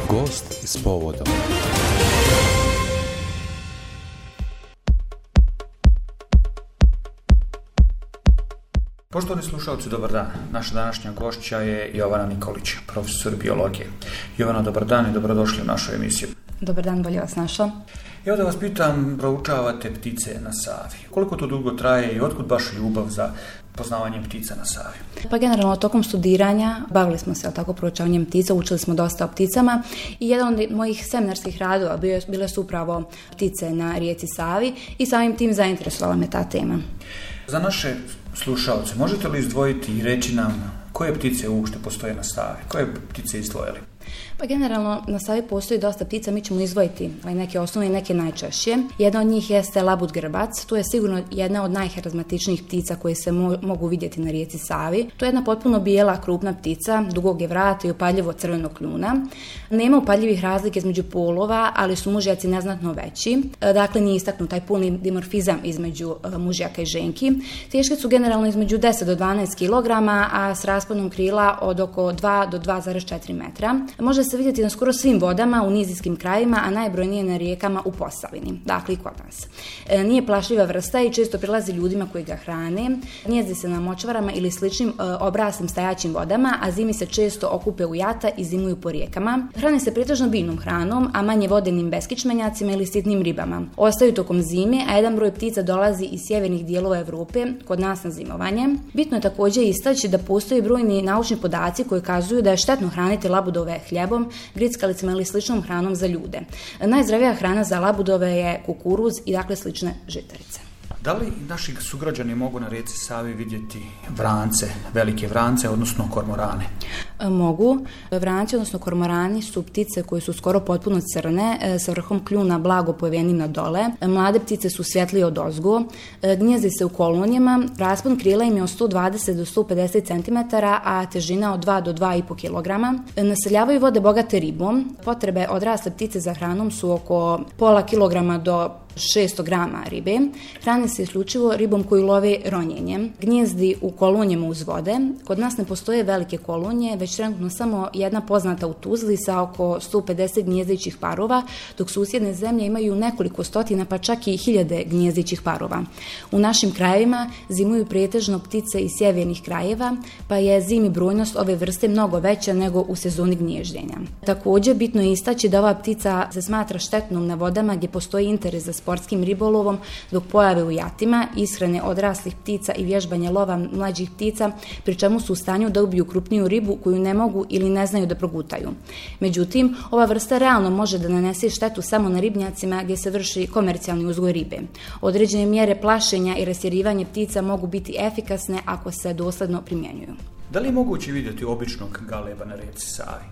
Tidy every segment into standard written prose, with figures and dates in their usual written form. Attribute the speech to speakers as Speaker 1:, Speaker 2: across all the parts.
Speaker 1: Gost s povodom.
Speaker 2: Poštovani slušalci, dobar dan. Naša današnja gošća je Jovana Nikolić, profesor biologije. Jovana, dobar dan i dobrodošli u našu emisiju.
Speaker 3: Dobar dan, bolje vas našao.
Speaker 2: Evo da vas pitam, proučavate ptice na Savi. Koliko to dugo traje i otkud baš ljubav za poznavanje ptica na Savi?
Speaker 3: Pa generalno tokom studiranja bavili smo se proučavanjem ptica, učili smo dosta o pticama i jedan od mojih seminarskih radova bile su upravo ptice na rijeci Savi i samim tim zainteresovala me ta tema.
Speaker 2: Za naše slušalce, možete li izdvojiti i reći nam koje ptice uopšte postoje na Savi? Koje ptice izdvojili?
Speaker 3: Pa generalno na Savi postoji dosta ptica, mi ćemo izdvojiti neke osnovne i neke najčešće. Jedna od njih jeste labud grbac, to je sigurno jedna od najharizmatičnijih ptica koje se mogu vidjeti na rijeci Savi. To je jedna potpuno bijela, krupna ptica, dugog je vrata i upadljivo crvenog kljuna. Nema upadljivih razlike između polova, ali su mužjaci neznatno veći. Dakle, nije istaknut taj polni dimorfizam između mužjaka i ženki. Teške su generalno između 10 do 12 kg, a s rasponom krila od oko 2 do 2,4 metra. Može se vidjeti na skoro svim vodama u nizijskim krajevima, a najbrojnije na rijekama u Posavini, dakle i kod nas. Nije plašljiva vrsta i često prilazi ljudima koji ga hrane. Gnijezdi se na močvarama ili sličnim obraslim stajaćim vodama, a zimi se često okupe u jata i zimuju po rijekama. Hrane se pretežno biljnom hranom, a manje vodenim beskičmenjacima ili sitnim ribama. Ostaju tokom zime, a jedan broj ptica dolazi iz sjevernih dijelova Europe kod nas na zimovanje. Bitno je također istaći da postoji brojni naučni podaci koji kazuju da je štetno hraniti labudove hljebom, grickalicama ili sličnom hranom za ljude. Najzdravija hrana za labudove je kukuruz i dakle slične žitarice.
Speaker 2: Da li naši sugrađani mogu na rijeci Savi vidjeti vrance, velike vrance, odnosno kormorane?
Speaker 3: Mogu. Vranci, odnosno kormorani, su ptice koje su skoro potpuno crne, sa vrhom kljuna blago povenim na dole. Mlade ptice su svjetlije od ozgo. Gnijezdi se u kolonijama. Raspon krila im je od 120 do 150 cm, a težina od 2 do 2,5 kg. Naseljavaju vode bogate ribom. Potrebe odrasle ptice za hranom su oko pola kilograma do 600 grama ribe. Hrane se isključivo ribom koju love ronjenjem. Gnijezdi u kolonijama uz vode. Kod nas ne postoje velike kolonije, već trenutno samo jedna poznata u Tuzli sa oko 150 gnjezdećih parova, dok susjedne zemlje imaju nekoliko stotina pa čak i hiljade gnjezdećih parova. U našim krajevima zimuju pretežno ptice iz sjevernih krajeva, pa je zimi brojnost ove vrste mnogo veća nego u sezoni gnježđenja. Također bitno je istaći da ova ptica se smatra štetnom na vodama gdje postoji interes za sportskim ribolovom, zbog pojave u jatima, ishrane odraslih ptica i vježbanja lova mlađih ptica, pri čemu su u stanju da ubiju krupniju ribu koju ne mogu ili ne znaju da progutaju. Međutim, ova vrsta realno može da nanese štetu samo na ribnjacima gdje se vrši komercijalni uzgoj ribe. Određene mjere plašenja i rastjerivanje ptica mogu biti efikasne ako se dosledno primjenjuju.
Speaker 2: Da li je moguće vidjeti običnog galeba na rijeci Savi?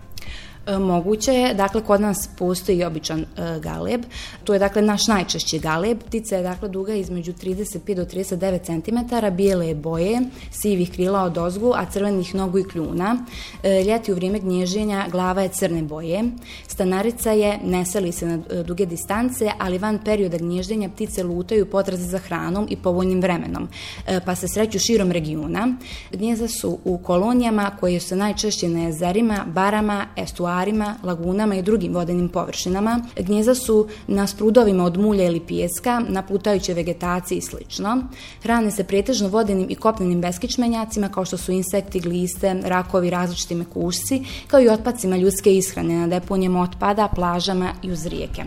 Speaker 3: Moguće je, dakle kod nas postoji običan galeb, to je dakle naš najčešći galeb, ptica je dakle duga između 35 do 39 cm, bijele je boje, sivih krila od ozgu, a crvenih nogu i kljuna. Ljeti u vrijeme gnježenja glava je crne boje, stanarica je, ne seli se na duge distance, ali van perioda gnježdenja ptice lutaju potrazi za hranom i povoljnim vremenom, pa se sreću širom regiona. Gnijezda su u kolonijama koje su najčešće na jezerima, barama, estuarima, lagunama i drugim vodenim površinama. Gnijezda su na sprudovima od mulja ili pijeska, na plutajućoj vegetaciji i sl. Hrane se pretežno vodenim i kopnenim beskičmenjacima kao što su insekti, gliste, rakovi, različiti mekušci, kao i otpacima ljudske ishrane na deponijama otpada, plažama i uz rijeke.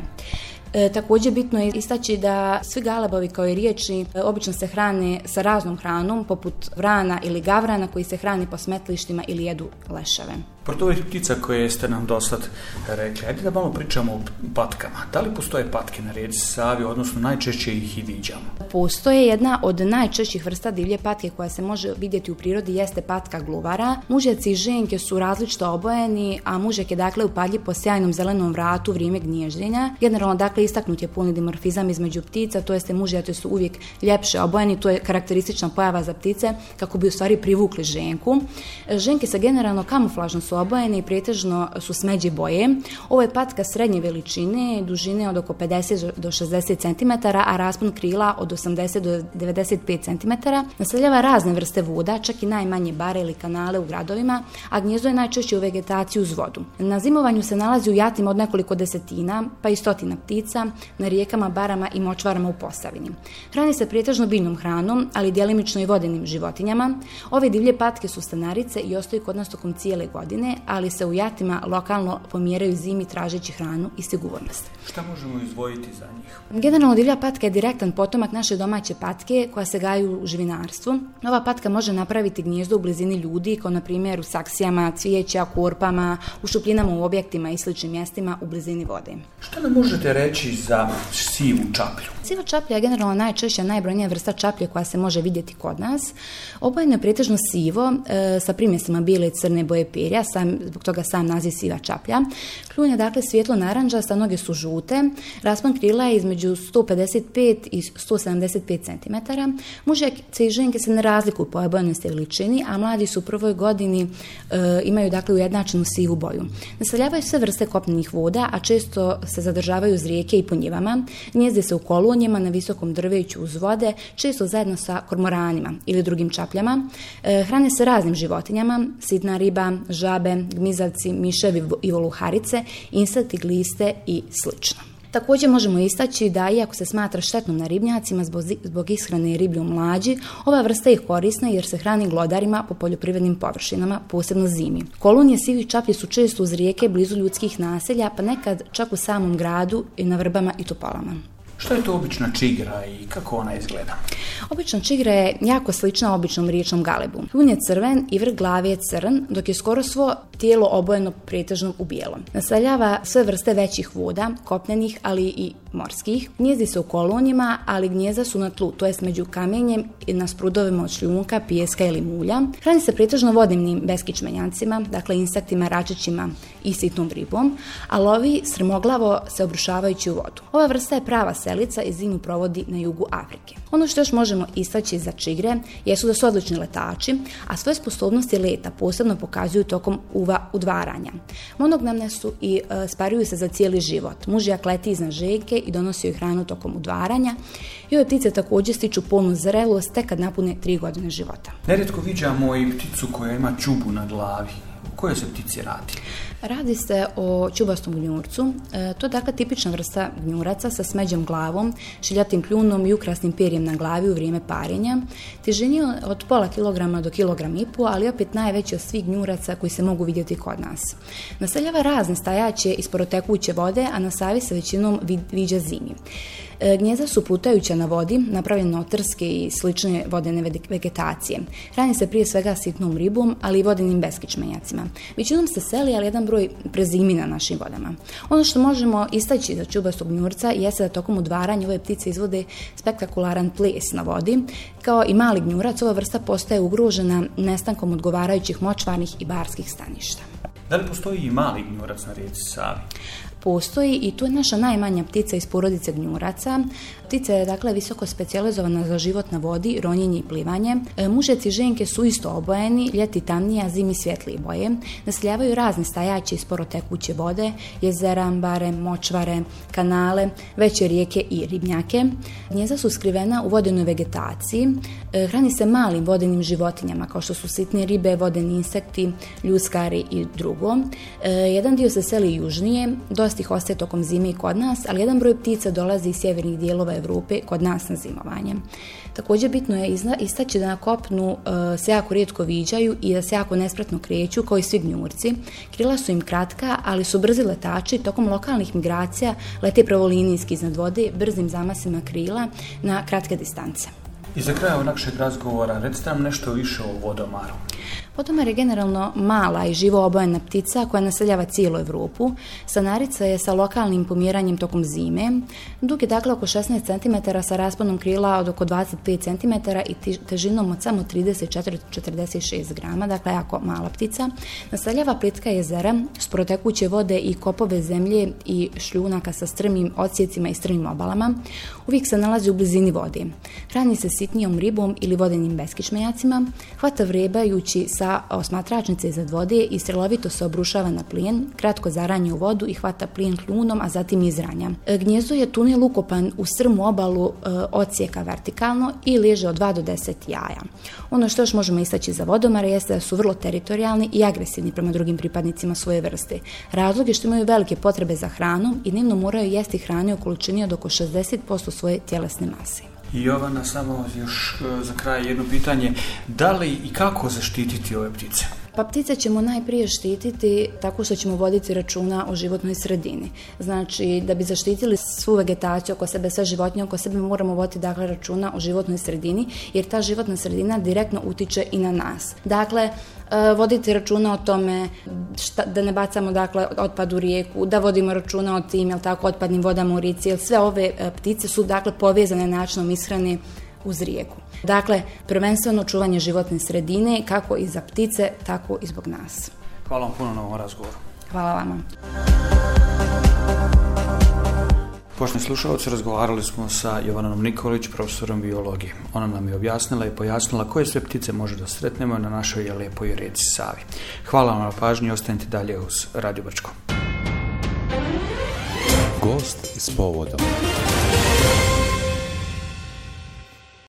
Speaker 3: Također bitno je istaći da svi galebovi kao i riječi obično se hrane sa raznom hranom, poput vrana ili gavrana koji se hrane po smetlištima ili jedu leševe.
Speaker 2: Pored ovih ptica koje ste nam dosad rekli, ajde da malo pričamo o patkama. Da li postoje patke na rijeci Savi, odnosno najčešće ih i viđamo?
Speaker 3: Postoje jedna od najčešćih vrsta divlje patke koja se može vidjeti u prirodi jeste patka gluvara. Mužjaci i ženke su različito obojeni, a mužjak je dakle upadljiv po sjajnom zelenom vratu u vrijeme gnježđenja. Generalno dakle istaknut je polni dimorfizam između ptica, to jeste mužjaci su uvijek ljepše obojeni, to je karakteristična pojava za ptice kako bi u stvari privukli ženku. Ženke se generalno kamuflažno su obojene i pretežno su smeđe boje. Ovo je patka srednje veličine, dužine od oko 50 do 60 cm, a raspon krila od 80 do 95 cm. Naseljava razne vrste voda, čak i najmanje bare ili kanale u gradovima, a gnjezdo je najčešće u vegetaciji uz vodu. Na zimovanju se nalazi u jatima od nekoliko desetina, pa i stotina ptica, na rijekama, barama i močvarama u Posavini. Hrani se pretežno biljnom hranom, ali djelimično i vodenim životinjama. Ove divlje patke su stanarice i ostaju kod nas tokom cijele godine, ali se u jatima lokalno pomjeraju zimi tražeći hranu i sigurnost.
Speaker 2: Šta možemo izdvojiti za njih?
Speaker 3: Generalno divlja patka je direktan potomak naše domaće patke koja se gaji u živinarstvu. Ova patka može napraviti gnijezdo u blizini ljudi, kao na primjer u saksijama, cvijeća, korpama, u šupljinama u objektima i sličnim mjestima u blizini vode.
Speaker 2: Šta nam možete reći za sivu čaplju?
Speaker 3: Siva čaplja je generalno najčešća, najbrojnija vrsta čaplje koja se može vidjeti kod nas. Obojeno je pretežno sivo, sa primjesima bijele i crne boje perja, zbog toga sam naziv siva čaplja. Kljun je dakle svjetlo naranđasta, noge su žute, raspon krila je između 155 i 175 cm. Muškarci i ženke se ne razlikuju po obojenosti i veličini, a mladi su u prvoj godini imaju dakle ujednačenu sivu boju. Naseljavaju sve vrste kopnenih voda, a često se zadržavaju uz rijeke i po njivama. Gnijezde se u kolonijama na visokom drveću uz vode, često zajedno sa kormoranima ili drugim čapljama. Hrane se raznim životinjama, sitna riba, žabe, gmizavci, miševi i voluharice, insekti, gliste i slično. Također možemo istaći da iako se smatra štetnom na ribnjacima zbog ishrane riblju mlađi, ova vrsta je korisna jer se hrani glodarima po poljoprivrednim površinama, posebno zimi. Kolonije sivih čaplji su često uz rijeke blizu ljudskih naselja, pa nekad čak u samom gradu i na vrbama i topolama.
Speaker 2: Što je to obična čigra i kako ona izgleda?
Speaker 3: Obična čigra je jako slična običnom riječnom galebu. Kljun je crven i vrh glave je crn, dok je skoro svo tijelo obojeno pretežno u bijelo. Naseljava sve vrste većih voda, kopnenih, ali i morskih. Gnijezdi se u kolonijama, ali gnijezda su na tlu, to jest među kamenjem i na sprudovima od šljunka, pijeska ili mulja. Hrani se pretežno vodnim beskičmenjancima, dakle insektima, račićima i sitnom ribom, a lovi strmoglavo se obrušavajući u vodu. Ova vrsta je prava selica i zimu provodi na jugu Afrike. Ono što još možemo istaći za čigre jesu da su odlični letači, a svoje sposobnosti leta posebno pokazuju tokom udvaranja. Monogamne su i sparuju se za cijeli život. Mužjak leti iznad ženke i donosi joj hranu tokom udvaranja. I ove ptice također stiču polnu zrelost tek kad napune 3 godine života.
Speaker 2: Nerijetko viđamo i pticu koja ima čubu na glavi. O kojoj se ptici radi?
Speaker 3: Radi se o čubastom gnjurcu. To je dakle tipična vrsta gnjuraca sa smeđom glavom, šiljatim kljunom i ukrasnim perjem na glavi u vrijeme parenja. Težini od pola kilograma do kilogram i pol, ali opet najveći od svih gnjuraca koji se mogu vidjeti kod nas. Naseljava razne stajaće i sporotekuće vode, a na Savi se većinom viđa zimi. Gnjezda su plutajuća na vodi, napravljene od trske i slične vodene vegetacije. Hrani se prije svega sitnom ribom, ali i vodenim beskičmenjacima. Većinom se seli, ali jedan broj prezimi na našim vodama. Ono što možemo istaći za čubastog gnjurca jeste da tokom udvaranja ove ptice izvode spektakularan ples na vodi. Kao i mali gnjurac, ova vrsta postaje ugrožena nestankom odgovarajućih močvarnih i barskih staništa.
Speaker 2: Da li postoji i mali gnjurac na rijeci Savi?
Speaker 3: Postoji i tu je naša najmanja ptica iz porodice gnjuraca. Ptica je dakle visoko specijalizovana za život na vodi, ronjenje i plivanje. Mužeci i ženke su isto obojeni, ljeti tamnije, a zimi svjetlije boje. Naseljavaju razne stajaće i sporo tekuće vode, jezera, bare, močvare, kanale, veće rijeke i ribnjake. Gnjezda su skrivena u vodenoj vegetaciji. Hrani se malim vodenim životinjama kao što su sitne ribe, vodeni insekti, ljuskari i drugo. Jedan dio se seli južnije, dosta ih ostaje tokom zime i kod nas, ali jedan broj ptica dolazi iz sjevernih dijelova Europe kod nas na zimovanje. Također bitno je istaći da na kopnu se jako rijetko viđaju i da se jako nespretno kreću kao i svi gnjurci. Krila su im kratka, ali su brzi letači, tokom lokalnih migracija lete pravolinijski iznad vode, brzim zamasima krila na kratke distance.
Speaker 2: I za kraj ovog našeg razgovora, recite nam nešto više o vodomaru.
Speaker 3: Vodomar je generalno mala i živo obojena ptica koja naseljava cijelu Europu. Stanarica je sa lokalnim pomjeranjem tokom zime. Dug je dakle oko 16 cm sa rasponom krila od oko 25 cm i težinom od samo 34-46 grama, dakle jako mala ptica. Naseljava plitka jezera, sporotekuće vode i kopove zemlje i šljunaka sa strmim odsjecima i strmim obalama. Uvijek se nalazi u blizini vode. Hrani se sitnijom ribom ili vodenim beskičmenjacima, hvata vrebajući sa sa osmatračnice iznad vode i strelovito se obrušava na plijen, kratko zaranje u vodu i hvata plijen kljunom, a zatim izranja. Gnjezdo je tunel ukopan u strmu obalu odsjeka vertikalno i leže od 2 do 10 jaja. Ono što još možemo istaći za vodomare jeste da su vrlo teritorijalni i agresivni prema drugim pripadnicima svoje vrste. Razlog je što imaju velike potrebe za hranom i dnevno moraju jesti hrane u količini od oko 60% svoje tjelesne mase.
Speaker 2: I Jovana, samo još za kraj jedno pitanje, da li i kako zaštititi ove ptice?
Speaker 3: Pa ptice ćemo najprije štititi tako što ćemo voditi računa o životnoj sredini. Znači, da bi zaštitili svu vegetaciju oko sebe, sve životinje oko sebe, moramo voditi računa o životnoj sredini, jer ta životna sredina direktno utiče i na nas. Dakle, voditi računa o tome da ne bacamo otpad u rijeku, da vodimo računa o tim otpadnim vodama u rijeci, jer sve ove ptice su povezane načinom ishrane uz rijeku. Dakle, prvenstveno čuvanje životne sredine, kako i za ptice, tako i zbog nas.
Speaker 2: Hvala vam puno na ovom razgovoru.
Speaker 3: Hvala vama.
Speaker 2: Poštovani slušalci, razgovarali smo sa Jovanom Nikolić, profesorom biologije. Ona nam je objasnila i pojasnila koje sve ptice može da sretnemo na našoj lijepoj rijeci Savi. Hvala vam na pažnji i ostanite dalje uz Radio Brčko.
Speaker 1: Gost s povodom.